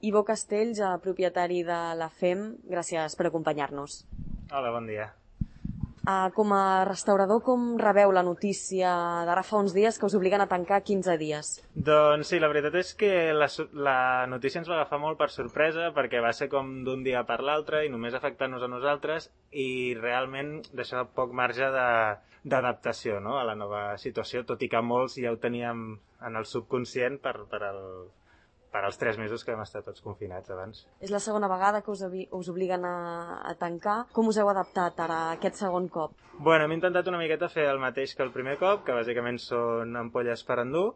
Ivo Castells, propietari de la FEM, gràcies per acompanyar-nos. Hola, bon dia. Com a restaurador, com rebeu la notícia d'ara fa uns dies que us obliguen a tancar 15 dies? Doncs sí, la veritat és que la notícia ens va agafar molt per sorpresa perquè va ser com d'un dia per l'altre i només afectant-nos a nosaltres i realment deixava poc marge d'adaptació, no?, a la nova situació, tot i que molts ja ho teníem en el subconscient per als 3 mesos que vam estar tots confinats abans. És la segona vegada que us obliguen a tancar. Com us heu adaptat ara a aquest segon cop? Bueno, hem intentat una miqueta fer el mateix que el primer cop, que bàsicament són ampolles per endur.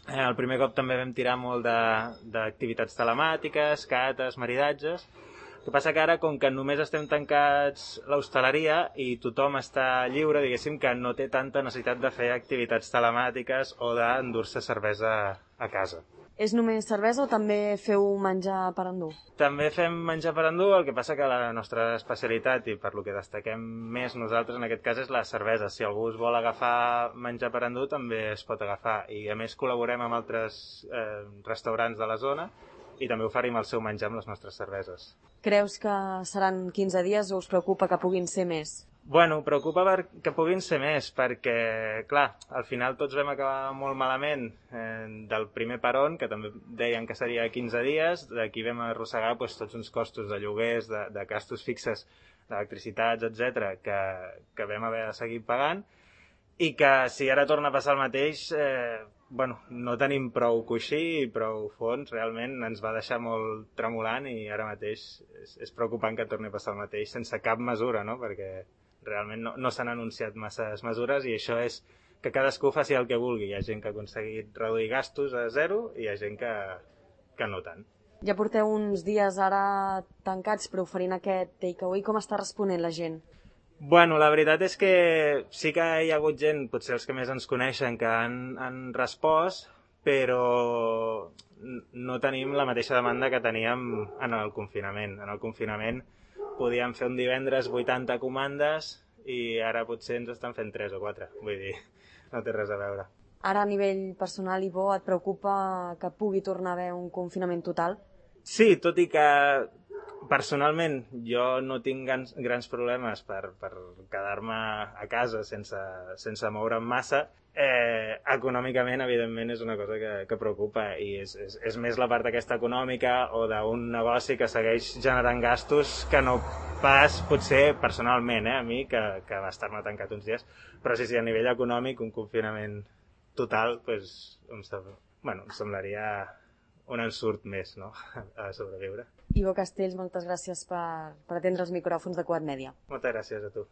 El primer cop també vam tirar molt d'activitats telemàtiques, cates, maridatges. El que passa que ara, com que només estem tancats l'hostaleria i tothom està lliure, diguéssim que no té tanta necessitat de fer activitats telemàtiques o d'endur-se cervesa a casa. És només cervesa o també feu menjar per endur? També fem menjar per endur, el que passa que la nostra especialitat i per lo que destaquem més nosaltres en aquest cas és la cervesa. Si algú us vol agafar menjar per endur també es pot agafar i a més col·laborem amb altres restaurants de la zona i també oferim el seu menjar amb les nostres cerveses. Creus que seran 15 dies o us preocupa que puguin ser més? Bueno, preocupa que puguin ser més, perquè, clar, al final tots vam acabar molt malament del primer peron, que també deien que seria 15 dies, d'aquí vam arrossegar tots uns costos de lloguers, de gastos fixes, d'electricitats, etc que vam haver de seguir pagant, i que si ara torna a passar el mateix, no tenim prou coixí i prou fons, realment ens va deixar molt tremolant i ara mateix és preocupant que torni a passar el mateix sense cap mesura, no?, perquè realment no s'han anunciat masses mesures i això és que cadascú faci el que vulgui. Hi ha gent que ha aconseguit reduir gastos a zero i hi ha gent que no tant. Ja porteu uns dies ara tancats però oferint aquest takeaway. Com està responent la gent? Bueno, la veritat és que sí que hi ha hagut gent, potser els que més ens coneixen, que han respost, però no tenim la mateixa demanda que teníem en el confinament. En el confinament podíem fer un divendres 80 comandes i ara potser ens estan fent 3 o 4. Vull dir, no té res a veure. Ara a nivell personal, Ivo, et preocupa que pugui tornar a haver un confinament total? Sí, tot i que personalment jo no tinc grans problemes per quedar-me a casa sense moure'm massa, econòmicament, evidentment, és una cosa que preocupa i és més la part aquesta econòmica o d'un negoci que segueix generant gastos que no pas, potser, personalment, a mi, que va estar-me tancat uns dies. Però sí, a nivell econòmic, un confinament total, em semblaria un ensurt més, no?, a sobreviure. Ivo Castells, moltes gràcies per atendre els micròfons de Quad Media. Moltes gràcies a tu.